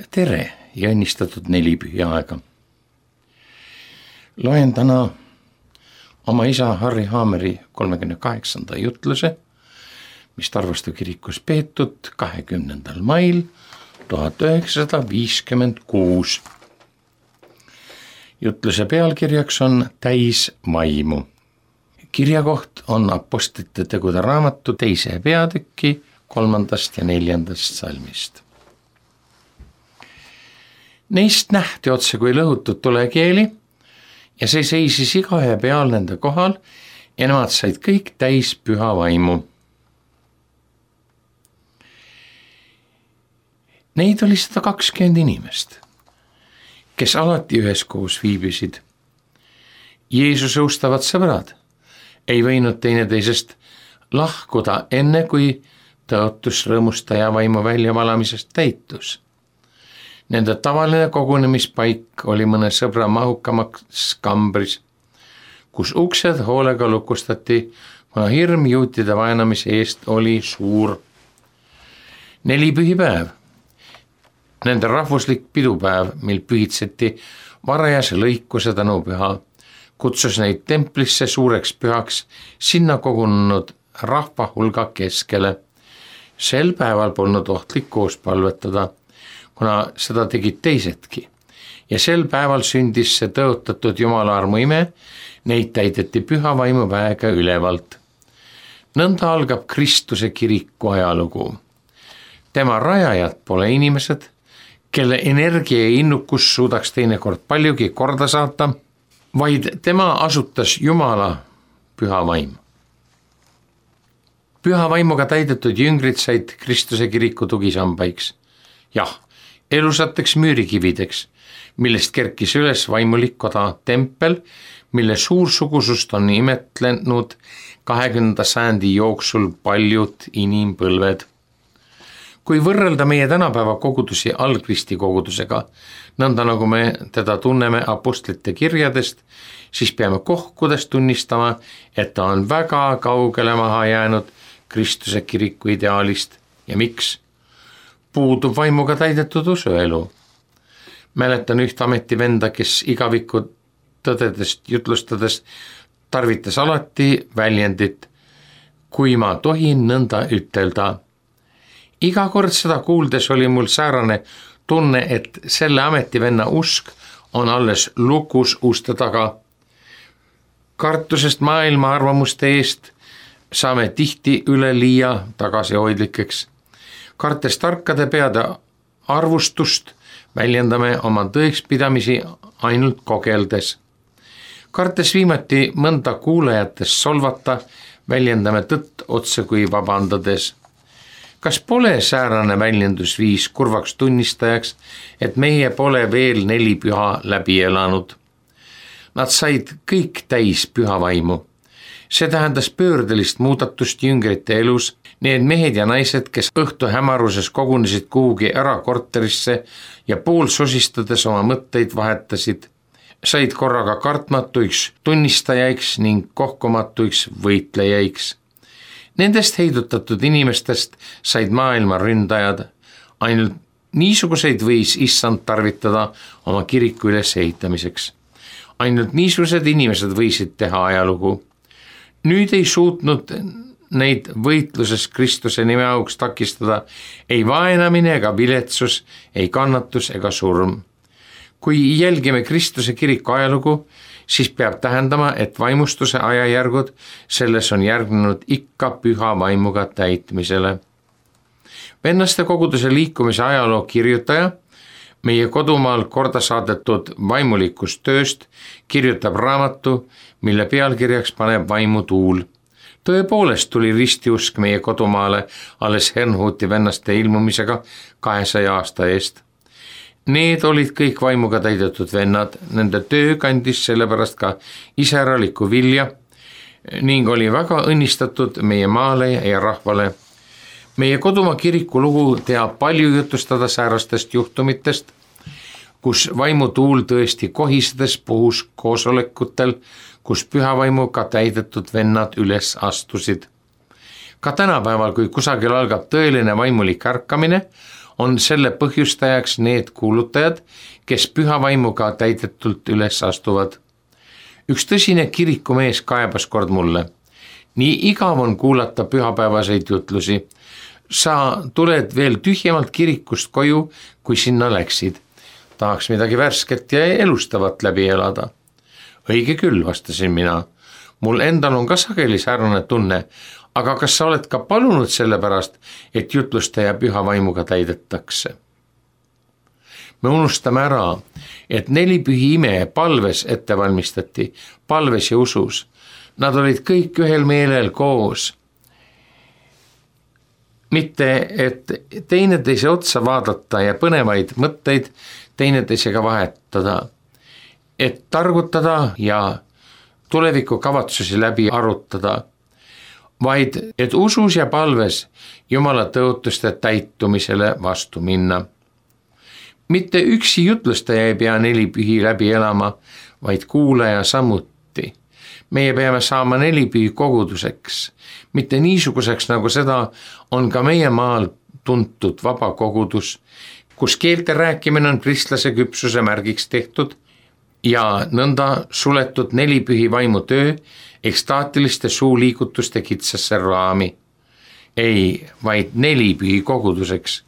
Tere ja õnnistatud nelipühiaega. Loen täna oma isa Harri Haameri 38. jutluse, mis Tarvastu kirikus peetud 20. mail 1956. Jutluse pealkirjaks on Täis vaimu. Kirjakoht on Apostlite tegude raamatu 2. peatüki 3. ja 4. salmist. Neist nähti otse kui lõhutud tulekeeli ja see seisis igaühe peal nende kohal ja nemad said kõik täis püha vaimu. Neid oli 120 inimest, kes alati üheskoos viibisid. Jeesuse ustavad sõbrad ei võinud teineteisest lahkuda enne, kui tõotus rõõmustaja vaimu väljavalamisest täitus. Nende tavaline kogunemispaik oli mõne sõbra mahukamaks kambris, kus uksed hoolega lukustati, kuna hirm juutide vaenamise eest oli suur. Nelipühipäev, nende rahvuslik pidupäev, mil pühitseti varajase lõikuse tänupüha, kutsus neid templisse suureks pühaks sinna kogunenud rahva hulga keskele. Sel päeval polnud ohtlik koos palvetada, kuna seda tegid teisedki. Ja sel päeval sündis see tõotatud Jumala armu ime, neid täideti püha vaimu väega ülevalt. Nõnda algab Kristuse kiriku ajalugu. Tema rajajad pole inimesed, kelle energia ja innukus suudaks teinekord paljugi korda saata, vaid tema asutas Jumala püha vaim. Püha vaimuga täidetud jüngrid said Kristuse kiriku tugisambaiks. Jah, elusateks müürikivideks, millest kerkis üles vaimulik koda tempel, mille suursugusust on imetlenud 20. sajandi jooksul paljud inimpõlved. Kui võrrelda meie tänapäeva kogudusi algristi kogudusega, nõnda nagu me teda tunneme apostlite kirjadest, siis peame kohkudes tunnistama, et ta on väga kaugele maha jäänud Kristuse kiriku ideaalist. Ja miks? Puudub vaimuga täidetud usuelu. Mäletan üht ametivenda, kes igavikku tõdedest jutlustades tarvitas alati väljendit, kui ma tohin nõnda ütelda. Iga kord seda kuuldes oli mul säärane tunne, et selle ametivenna usk on alles lukus uste taga. Kartusest maailma arvamuste eest saame tihti üleliia tagasihoidlikeks. Kartes tarkade peade arvustust väljendame oma tõekspidamisi ainult kogeldes. Kartes viimati mõnda kuulajatest solvata, väljendame tõtt otse kui vabandades. Kas pole säärane väljendusviis kurvaks tunnistajaks, et meie pole veel 4 püha läbi elanud? Nad said kõik täis püha vaimu. See tähendas pöördelist muudatust jüngrite elus. Need mehed ja naised, kes õhtu hämaruses kogunesid kuhugi erakorterisse ja pool sosistades oma mõtteid vahetasid, said korraga kartmatuiks tunnistajaiks ning kohkumatuiks võitlejaiks. Nendest heidutatud inimestest said maailma ründajad. Ainult niisuguseid võis issand tarvitada oma kiriku ülesehitamiseks. Ainult niisugused inimesed võisid teha ajalugu. Nüüd ei suutnud neid võitluses Kristuse nime auks takistada ei vaenamine ega viletsus, ei kannatus ega surm. Kui jälgime Kristuse kiriku ajalugu, siis peab tähendama, et vaimustuse ajajärgud selles on järgnenud ikka püha vaimuga täitmisele. Vennaste koguduse liikumise ajaloo kirjutaja, meie kodumaal korda saadetud vaimulikust tööst, kirjutab raamatu, mille pealkirjaks paneb vaimu tuul. Tõepoolest tuli ristiusk meie kodumaale alles Herrnhuti vennaste ilmumisega 200 aasta eest. Need olid kõik vaimuga täidetud vennad, nende töö kandis sellepärast ka iseäralikku vilja ning oli väga õnnistatud meie maale ja rahvale. Meie kodumaa kiriku lugu teab palju jutustada säärastest juhtumitest, kus vaimutuul tõesti kohisedes puhus koosolekutel, kus pühavaimuga täidetud vennad üles astusid. Ka tänapäeval, kui kusagil algab tõeline vaimulik ärkamine, on selle põhjustajaks need kuulutajad, kes püha vaimuga täidetult üles astuvad. Üks tõsine kirikumees kaebas kord mulle. Nii igav on kuulata pühapäevaseid jutlusi. Sa tuled veel tühjemalt kirikust koju, kui sinna läksid. Tahaks midagi värsket ja elustavat läbi elada. Õige küll, vastasin mina. Mul endal on ka sageli säärane tunne, aga kas sa oled ka palunud selle pärast, et jutlustaja püha vaimuga täidetakse? Me unustame ära, et 4 pühi ime palves ette valmistati, palves ja usus. Nad olid kõik ühel meelel koos. Mitte, et teineteise otsa vaadata ja põnevaid mõtteid teineteisega vahetada, et targutada ja tulevikukavatsusi läbi arutada, vaid et usus ja palves Jumala tõotuste täitumisele vastu minna. Mitte üksi jutlustaja ei pea 4 pühi läbi elama, vaid kuulaja samuti. Meie peame saama 4 pühi koguduseks, mitte niisuguseks, nagu seda on ka meie maal tuntud vaba kogudus, kus keelte rääkimine on kristlase küpsuse märgiks tehtud ja nõnda suletud 4 pühi vaimu töö ekstaatiliste suuliigutuste kitsasse raami. Ei, vaid 4 pühi koguduseks,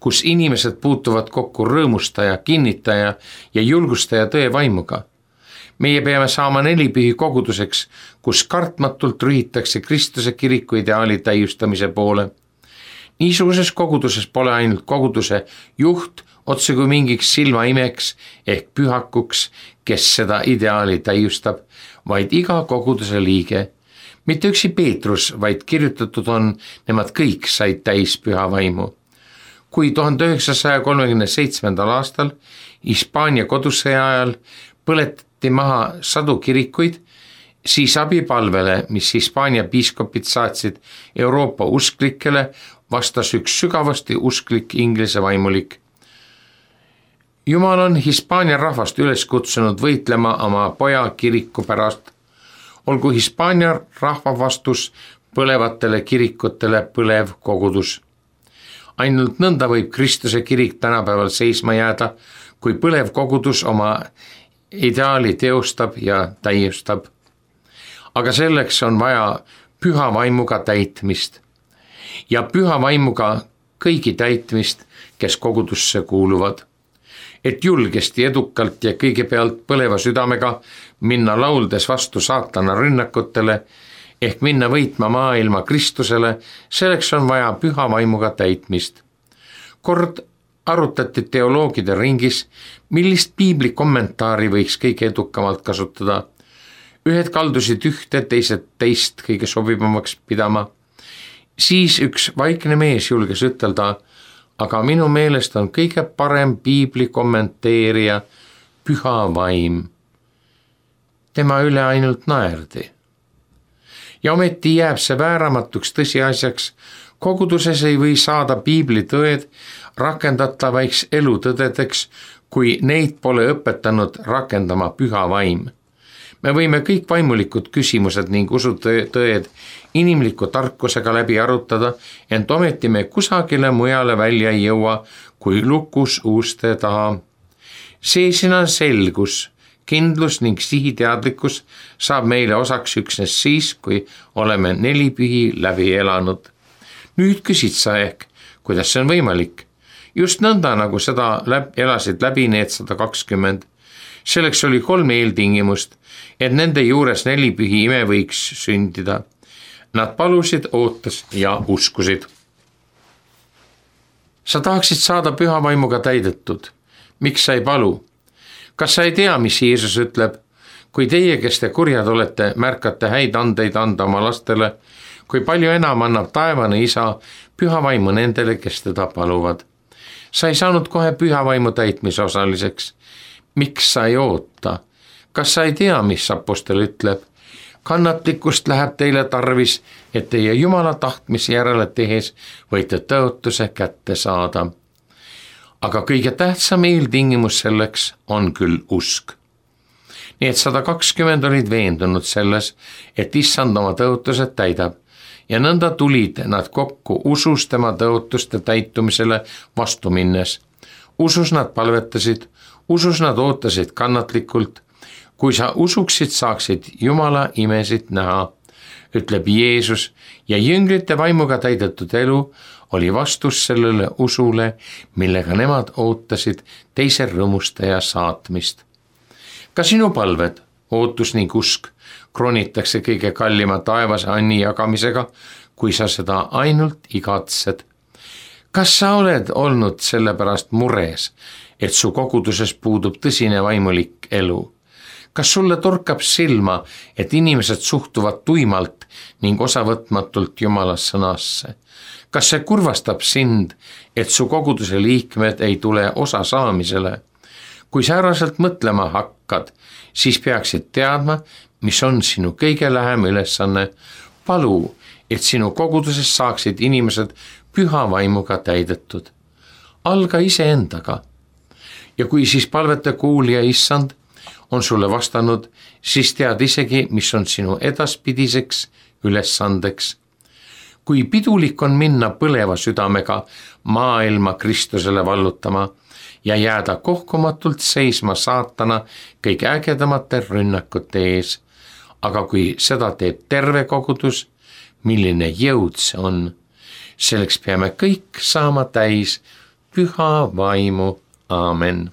kus inimesed puutuvad kokku rõõmustaja, kinnitaja ja julgustaja tõe vaimuga. Meie peame saama 4 pühi koguduseks, kus kartmatult rühitakse Kristuse kiriku ideaali täiustamise poole. Niisuguses koguduses pole ainult koguduse juht otse kui mingiks silmaimeks ehk pühakuks, kes seda ideaali täiustab, vaid iga koguduse liige. Mitte üksi Peetrus, vaid kirjutatud on, nemad kõik said täis püha vaimu. Kui 1937. aastal Hispaania kodusõja ajal põletati maha sadu kirikuid, siis abipalvele, mis Hispaania piiskopid saatsid Euroopa usklikele, vastas üks sügavasti usklik Inglise vaimulik. Jumal on Hispaania rahvast üles kutsunud võitlema oma poja kiriku pärast. Olgu Hispaania rahva vastus põlevatele kirikutele põlev kogudus. Ainult nõnda võib Kristuse kirik tänapäeval seisma jääda, kui põlev kogudus oma ideaali teostab ja täiustab. Aga selleks on vaja püha vaimuga täitmist ja püha vaimuga kõigi täitmist, kes kogudusse kuuluvad. Et julgesti, edukalt ja kõigepealt põleva südamega minna lauldes vastu saatana rünnakutele ehk minna võitma maailma Kristusele, selleks on vaja püha vaimuga täitmist. Kord arutati teoloogide ringis, millist piibli kommentaari võiks kõige edukamalt kasutada. Ühed kaldusid ühte, teised teist kõige sobivamaks pidama. Siis üks vaikne mees julges ütelda, aga minu meelest on kõige parem piibli kommenteerija püha vaim. Tema üle ainult naerdi. Ja ometi jääb see vääramatuks tõsiasjaks, koguduses ei või saada piibli tõed rakendatavaiks elutõdedeks, kui neid pole õpetanud rakendama püha vaim. Me võime kõik vaimulikud küsimused ning usutõed inimliku tarkusega läbi arutada, ent ometi me kusagile mujale välja ei jõua, kui lukus uste taha. Seesina selgus, kindlus ning sihiteadlikkus saab meile osaks üksnes siis, kui oleme 4 pühi läbi elanud. Nüüd küsid sa ehk, kuidas see on võimalik? Just nõnda, nagu seda elasid läbi need 120. Selleks oli 3 eeltingimust, et nende juures 4 pühi ime võiks sündida. Nad palusid, ootas ja uskusid. Sa tahaksid saada püha vaimuga täidetud. Miks sa ei palu? Kas sa ei tea, mis Jeesus ütleb? Kui teie, kes te kurjad olete, märkate häid andeid anda oma lastele, kui palju enam annab taevane isa püha vaimu nendele, kes teda paluvad. Sa ei saanud kohe püha vaimu täitmise osaliseks. Miks sa ei oota? Kas sa ei tea, mis apostel ütleb? Kannatlikkust läheb teile tarvis, et teie Jumala tahtmise järele tehes võite tõotuse kätte saada. Aga kõige tähtsam eeltingimus selleks on küll usk. Nii et 120 olid veendunud selles, et issand oma tõotused täidab ja nõnda tulid nad kokku usus tema tõotuste täitumisele vastu minnes. Usus nad palvetasid, usus nad ootasid kannatlikult. Kui sa usuksid, saaksid Jumala imesid näha, ütleb Jeesus, ja jüngrite vaimuga täidetud elu oli vastus sellele usule, millega nemad ootasid teise rõõmustaja saatmist. Ka sinu palved, ootus ning usk kroonitakse kõige kallima taevase anni jagamisega, kui sa seda ainult igatsed. Kas sa oled olnud sellepärast mures, et su koguduses puudub tõsine vaimulik elu? Kas sulle torkab silma, et inimesed suhtuvad tuimalt ning osavõtmatult Jumala sõnasse? Kas see kurvastab sind, et su koguduse liikmed ei tule osa saamisele? Kui sääraselt mõtlema hakkad, siis peaksid teadma, mis on sinu kõige lähem ülesanne. Palu, et sinu koguduses saaksid inimesed püha vaimuga täidetud. Alga iseendaga. Ja kui siis palvete kuulja issand on sulle vastanud, siis tead isegi, mis on sinu edaspidiseks ülesandeks. Kui pidulik on minna põleva südamega maailma Kristusele vallutama ja jääda kohkumatult seisma saatana kõige ägedamate rünnakute ees. Aga kui seda teeb terve kogudus, milline jõud see on, selleks peame kõik saama täis püha vaimu. Aamen.